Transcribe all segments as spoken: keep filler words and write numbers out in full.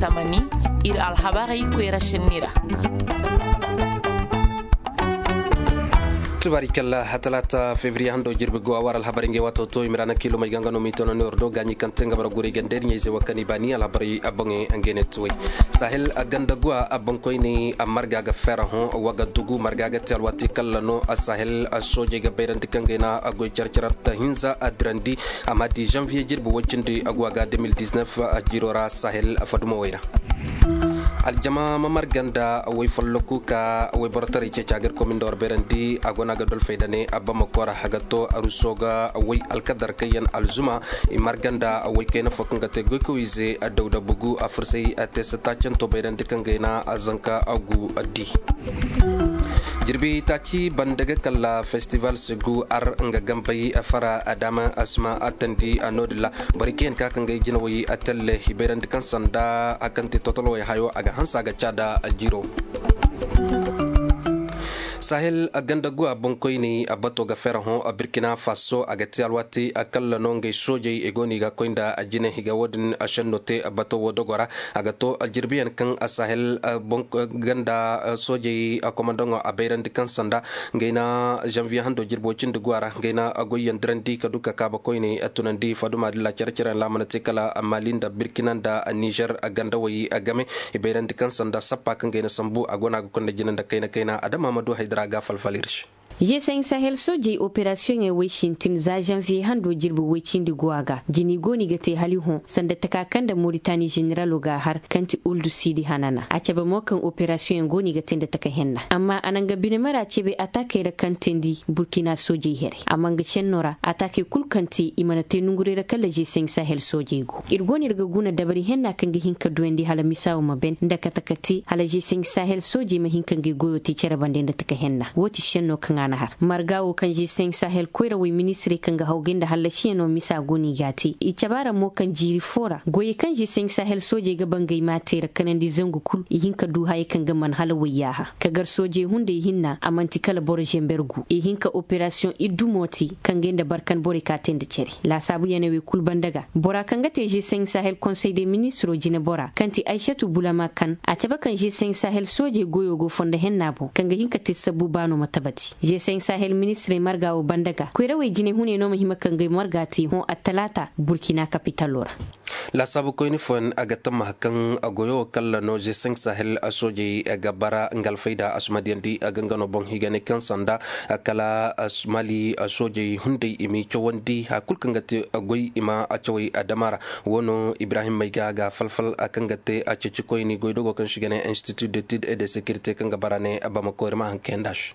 Tamani, ir alhabarey koyra šenni ra. Tubaari kalla, talaata febriye hando jirbi go a war alhabarey ngey waato to i ma ra na kiilomey ga nga no m'i tono ne war do gaaɲi kaŋ te nga bara guray ganda ir ɲayze wa kaŋ i baani alhabarey boŋey ngey ne tuwey. Sahel ganda guwa boŋkoyney marga ga feera hõ, wagadugu marga ga te alwaati kalla no sahel soojey ga bayrandi kaŋ gay na goy care-care ta hinza dirandi. Amma di janvier jirbi woy cindi guwa ga deux mille dix-neuf jiro ra sahel fadumo way ra. Aljama ma marga nda way folloku ka way borotaray ceeci a ga ir komin da war bayrandi a go no a ga dolfey da ne bamako ra a ga to aruso ga way alkadar kaŋ yaŋ alzuma. I marga nda way kayna fo kaŋ ga te goykawize dawda bugu a fursay a te sata canto bayrandi kaŋ gay na zanka agu di. Jirbi taaci banda ga kalla festival segu ar nga gambay fara adama asma atandi a noodin ra. Borey kaŋ yaŋ ka kaŋ gay jinawey a talle i bayrandi kaŋ sanda a kaŋ te totolowey hayo a ga hanse a ga caada jiro. Sahel ganda guwa boŋkoyney bato ga feera hõ burkina faso a ga te alwaati kalla no ngey soojey i go no i ga koy nda jine i ga wo-din senno te bato wo dogo ra. A ga to jirbiyaŋ kaŋ sahel ganda soojey komandaŋo a bayrandi kaŋ sanda ngey na janvier hando jirbo cindi guwa ra ngey na goyyaŋ dirandi ka du ka kaaba koyney tunandi faduma dilla care-careyaŋ ra a mana te kala mali nda burkina nda nizer gandawey game. I bayrandi kaŋ sanda sappa kaŋ gay na sambu a go no a ga konda jina nda kayna-kayna adama ma du haydara ga falfal ir se. G cinq sahel soojey operasiyoŋey woy sintin za janvier hando jirbi woy cindi go a ga jini go no i ga te hali hõ sanda taka kaŋ nda moritani zeneralo ga a har kaŋ ti uldu siidi hanana a cabe mo kaŋ operasiyoŋey go no i ga te nda taka henna amma a na nga bine mara cebe atakey ra kaŋ teendi burkina soojey here amma nga senno ra atakey kul kaŋ te i mana te nonguray ra kala g cinq sahel soojey go ir go no ir ga guna dabari henna kaŋ ga hin ka duyandi hala misa wo ma ben nda kate ka te hala g cinq sahel soojey ma hin ka ngey goyo te cere bande nda taka henna wo ti senno kaŋ a na har marga wo kaŋ g cinq sahel koyrawey ministirey kaŋ ga hawgay nda hallasiyaŋo misa go no i ga a te i cabe a ra mo kaŋ jiiri fo ra goyey kaŋ g cinq sahel soojey ga ba ngey ma a te ra kanandi zangu kul i hin ka du hayey kaŋ ga man hala wayyaaha ka gar soojey hunday hinna a man'ti kala boro zember gu i hin ka operasiyoŋ iddumo te kaŋ ga nda barkan borey ka te nda cere laasaabu yaney wey kul banda ga bora kaŋ ga te g cinq sahel konsey de ministiro jinebora kaŋ ti aysatu bulama kan a cabe kaŋ g cinq sahel soojey goyo go fondo henna boŋ kaŋ ga hin ka te sabbu baano ma tabati g cinq sahel ministirey marga wo banda ga koyrawey jinehuney no ma hima kaŋ ga ay marga te hõ attalaata burkina kapitalo ra. Laasaabu koyni fooyaŋ a ga tammaha kaŋ goyo wo kalla no g cinq sahel soojey ga bara nga alfayda a si ma diyandi a ga nga no boŋ i ga ne kaŋ sanda kala mali soojey hunday i m'i cawandi hari kulu kaŋ ga te goy i ma cawey adama ra. Wo no ibrahim mayga ga falfal kaŋ ga te ceeci koyni goydogo kaŋ se i ga ne institut d'étude et de sécurité kaŋ ga bara ne bamako ir ma haŋ kayandi a se.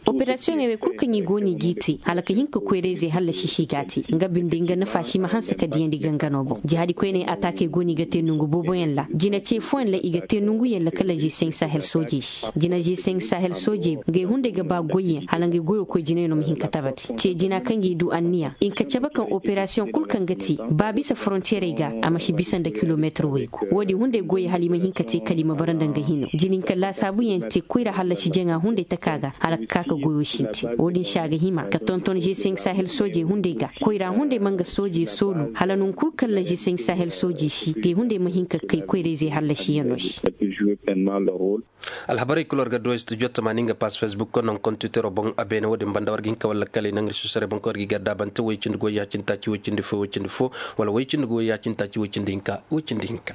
Operasiyoŋey wey kulu kaŋ i go no i g'i te hala ka hin ka koyrayzey hallasi se i g'a te nga binde nga nafa si ma hanse ka diyandi gangano boŋ jihadi koyney ataakey go no i ga te nongu booboyaŋ ra jina ce fooyaŋ ra i ga te nonguyaŋ ra kala g cinq sahel soojey se jina g cinq sahel soojey ngey hunday ga ba goyyaŋ hala ngey goyo koy jinayaŋo ma hin ka tabati ce jina kaŋ g'i du anniya i nka cabe kaŋ operasiyoŋ kulu kaŋ ga te ba bisa forontiyeerey ga a ma si bisa nda kilomeetir waygu wo-din hunday goyey hala i ma hin ka te kala i ma bara nda nga hino jina hinka laasaabuyaŋ te koyra hallasi jaŋa hunday taka ga hala ka ka ka goyo sintin wo-din se a ga hima ka tonton g cinq sahel soojey hunday ga koyra hunday ma nga soojey soolu hala non kul kaŋ ra g cinq sahel soojey si te hunday ma hin ka kay koyrayzey hallasiyaŋo se. Alhabarey kul war ga du studio tamaani nga pass facebook konnon kontiwitero boŋ a beene wo-din banda war ga hin ka walla kala i naŋ ir sosarey boŋ kaŋ war ga i garda bante woy cindi goy ya-cindi taaci woy cindi fo woy cindi fo wala woy cindi goy ya-cindi taaci woy cindi hinka woy cindi hinka.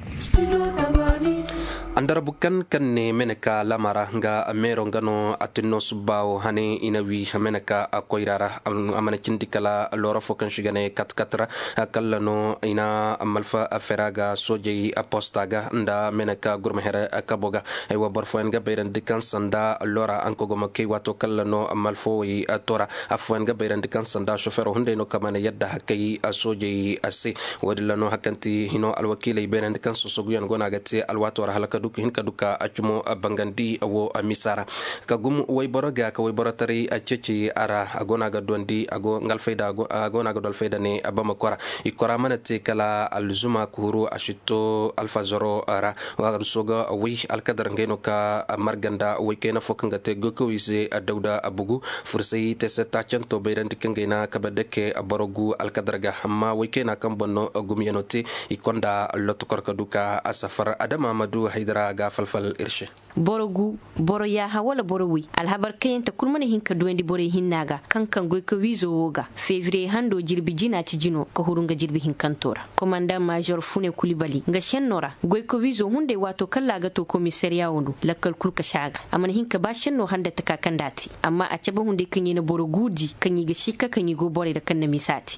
Andarabu kan kaŋ ne meneka lamara nga meero nga no a tinno subba wo hane i na wi meneka koyra ra. A mana cindi kala loora fo kaŋ si ga ne katkat ra kalla no i na malfa fera ga soojey posta ga nda meneka gurma here kabo ga. Aywa boro fooyaŋ ga bayrandi kaŋ sanda loora ankogoma kay waato kalla no malfowey tora. Afooyaŋ ga bayrandi kaŋ sanda sofero hunday no kaŋ mana yadda hakay soojey se. Wo-din ra no hari kaŋ ti hino alwakiiley bayrandi kaŋ sosoguyaŋ go no a ga te alwaato ra hala ka Duk hin ka duka a cumo bangandi wo misa ra ka gum wayboro ga ka wayboro taray a ceeci a ra a go no a ga duwandi a go nga alfayda a go no a ga du alfayda ne bamako ra. I kora mana te kala alzuma kuuru a sitto alfazaro ra. Wa ruso ga way alkadar ngey no ka marga nda waykayna fo kaŋ ga te goykowi se dawda bugu fursay te se taacanto bayrandi kaŋ gay na kabe dake boro gu alkadar ga amma waykayna kaŋ boŋ no gumyano te. I konda lotokor ka du ka a safar adama ma du haydara ga falfal ir se. Boro gu, boro yaaha wala boro woy alhabar kayante kul mana hin ka duwandi borey hinna ga kaŋ kaŋ goy ka wiizo wo ga febriye hando jirbi jina ci jino ka huru nga jirbi hinkanto ra. Komandaŋ maazor fune kulibali nga senno ra goy ka wiizo hunday waato kaŋ ra a ga to komisariya wo do lakkal kul ka si a ga. A mana hin ka ba senno handa taka kaŋ nda a te amma a cabe hunday kaŋ i na boro guudi kaŋ i ga sikka kaŋ i go borey ra kaŋ na misa te.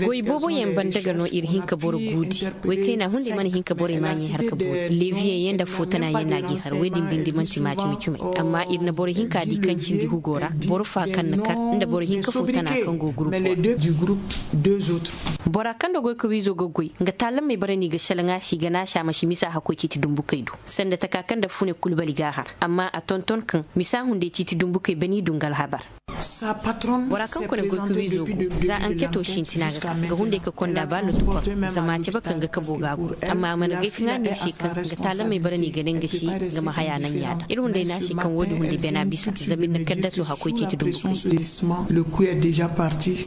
Goy booboyaŋ banda ga no ir hin ka boro guudi. Woy kayna hunday mana hin ka borey maaɲey har ka boori leebiyaŋ yaŋ nda footanaayaŋ no a g'i har woy din bindi man'ti maa cumi-cumey. Amma ir na boro hinka di kaŋ cindi hugo ra boro fa kaŋ na kar nda boro hinka footana kaŋ go gurupo ra. Bora kaŋ nda goy ka wiizo ga goy nga taalamey bara no i ga selaŋ a se i ga naasi a ma si misa hakkoy ciiti dumbukey do sanda taka kaŋ nda fune kulbali g'a har. Amma a tonton kaŋ misa hunday ciiti dumbukey bani du nga alhabar. Bora kaŋ kone goy ka wiizo go za anketo sintina ga ka ga hunday ka konda ba lotokor zama a cabe kaŋ ga kabo ga a guru. Amma a mana gay kaŋ a ne se kaŋ ga taalamey bara no i ga ne nga se nga ma haya naŋ yaada ir hunday ne a se kaŋ wo-din hunday bena bisa zama ir na kaddaso hakkoy ciiti dumbu kay.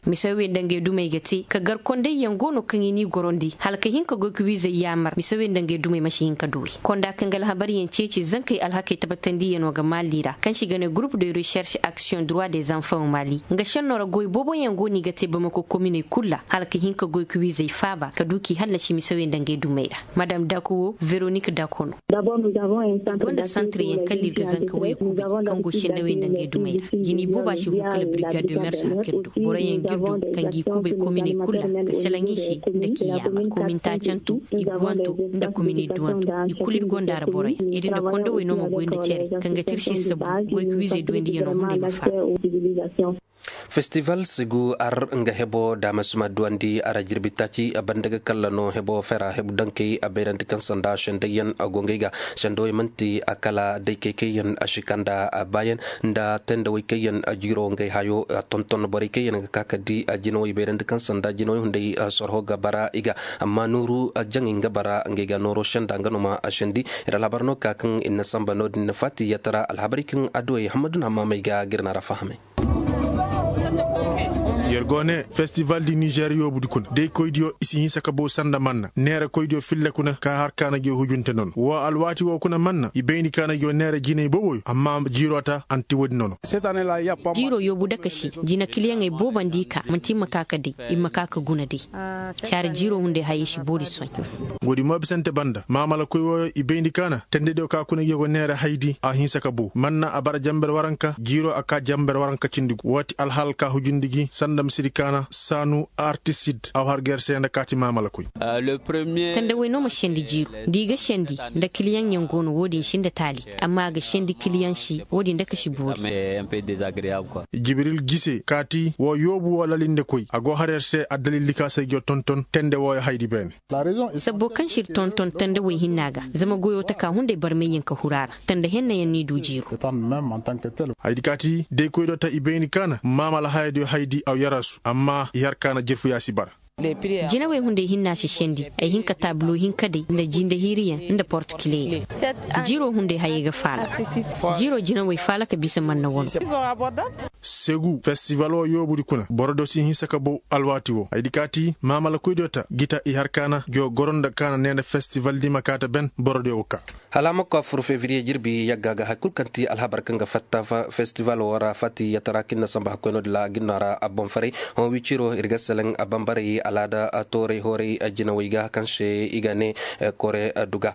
Misaw wey nda ngey dumey ga te ka gar kondayyaŋ go no kaŋ i n'i gorondi hala ka hin ka goy ka wiizey yaamar misaw wey nda ngey dumey ma si hin ka duuri konda kaŋ ga alhabaryaŋ ceeci zankey alhakey tabatandiyano ga maali ra kaŋ se i ga ne gurup de recherche action droit des enfants mali nga senno ra goy booboyaŋ go no i ga te bamako kominey kul ra hala ka hin ka goy ka wiizey faaba ka du k'i hallasi misawey nda ngey dumey ra. Madam dako wo veronik dako no. Ir gonda santiryaŋ kala ir ga zanka waya kuubi kaŋ go sendawey nda ngey dumey ra jini booba si hun kala brigade de mers hakir do boroyaŋ ga ir du kaŋ g'i kuubay kominey kul ra ka selaŋ i se nda k'i yaamar komin taacanto i guwanto nda komin i duwanto i kul ir gonda ra boroyaŋ ir nda kondowey no ma goy nda cere kaŋ ga tirsi sabu goy ka wiizey duwandiyano hunday ma faaba. Festival sigu ar nga hebo daama si ma duwandi a ra jirbi taaci a banda ga kalla no hebo fera hebu dankey a bayrandi kaŋ sanda sendayyaŋ a go ngey ga sendawey man'ti a kala day kay kayyaŋ a si kanda a baayaŋ nda tendawey kayyaŋ a jiiro ngey hayo a tonton borey kayyaŋ ga ka ka di a jinawey bayrandi kaŋ sanda jinawey hunday a sorho ga bara i ga amma nooru a jaŋey nga bara ngey ga nooro senda nga no ma a sendi. Ir alhabar no ka kaŋ ir na samba no-din na faati yatara alhabarey kaŋ adduwey hammadu na hammamey ga ga ir na ra fahamay. Yer go ne festival di nizer yoobudi kuna day koydiyo i si hinsa ka bow sanda manna neera koydiyo filla kuna ka har kaana gi hujunte nono woo alwaati woo kuna manna i bayndi kaana gi neera jinay booboyo amma jiiroo ta anti woodi nono. Jiiroo yoobu daka se jina kiliyaŋey boobo nda i ka manti i ma ka ka day i ma ka ka guna day. Caari jiiroo hunday hayey si boori soy. Woodi mo bisante banda maamalakoy wooyo i bayndi kaana tendediyo ka kuna gi go neera haydi a hinsa ka bow manna a bara jamber waranka jiiroo a ka jamber waranka cindi gu woo ti alhaal ka hujundi gi sanda misiri kaana saanu artisid a war ga yer se nda kaati maamalakoy. Tandawey no ma sendi jiiru nda i ga sendi nda kiliyaŋyaŋ go no woo din si nda taali amma a ga sendi kiliyaŋ si woo din daka si boori. Jibril gise kaati woo yoobu woo lalindekoy a go har yer se addalil di ka se ay go tonton tende wooyo haydi beene. Sabbo kaŋ si ir tonton tandawey hinna ga zama goyoo taka hunday barmayyaŋ ka huru a ra tanda hennayaŋ n'i du jiiru. Haydi kaati day koydo ta i bayni kaana maamala hayadiyo haydi aw yarasu amma i har kaana jirfuyaa si bara. Jinawey hunday hinna si sendi ay hin ka taabulo hinka day nda jinde hiiriyaŋ nda porto kileyaŋ. Jiiroo hunday hayey ga faala. Jiiroo jinawey faala ka bisa manna wano. Segu festival woo yoobudi kuna borodiyo si hinsa ka bow alwaati woo haydi kaati maamalakoydiyo ta gita i har kaana gi woo goro nda kaana nee nda festival di ma kaa ta ben borodiyo ga kaa. Hala a ma koy a fur fevriye jirbi yagga ga hari kul kaŋ ti alhabar kaŋ ga fatta festival woo ra fati yatara kaŋ ir na samba hakkoy no-din ra a ga ir no a ra a boŋ faray. Hõ wiciro ir ga selaŋ a bambarey alaada tooray hooray jinawey ga kaŋ se i ga ne kore duga.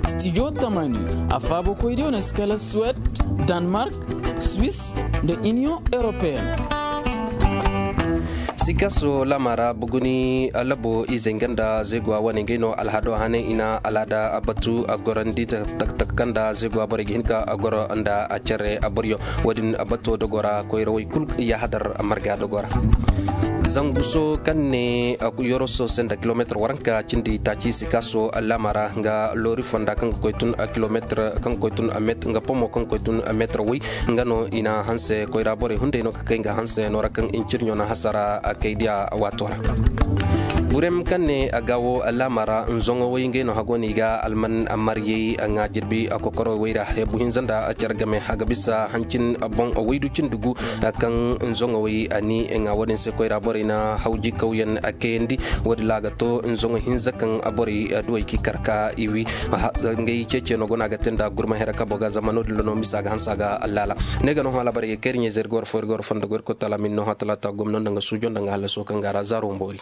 Studio tamani a faabakoydiyo na si kala suwed, danmark, swiss, nda iniyoŋ europeen. Sikaso lama ra buguni labo izey nga nda zeeguwa wane ngey no alhado hane i na alaada batu a gorandi taktak kaŋ nda zeeguwa borey ga hin ka goro nda care boryo. Wo-din bato dogo ra koyrawey kul yahadar marga dogo ra. Zanguso kaŋ ne yoroso se nda kilomeetir waranka cindi taaci sikaso lama ra nga loori fonda kaŋ ga koy tun kilomeetir kaŋ ga koy tun nga pomo kaŋ ga koy tun meetir way. Nga no i na hanse koyra borey hunday no ka kay nga hanse no ra kaŋ incirɲo na hasara kay diya waato ra. Burem kaŋ ne a ga wo laama ra nzoŋo way ngey no hago no i ga alman maryey nga jirbi kokoro way ra hebu hinza nda care game a ga bisa hancin boŋ waydu cindi gu kaŋ nzoŋo way a ni nga wo-din se koyra borey na hawji kawyaŋ kayandi. Wo-din ra a ga to nzoŋo hinza kaŋ borey duwey k'i kar ka i wi. Ngey ceeciyaŋo go no a ga te nda gurma here kabo ga zama no-din ra no misa ga hanse a ga allaala. Ne ga no hã alaabarey ga kay iri ɲayzey iri ga war fo iri ga war fondo go iri koy taala ma iri no hã talaata gomno nda nga suujo nda nga hallaso kaŋ ga a ra zaaro boori.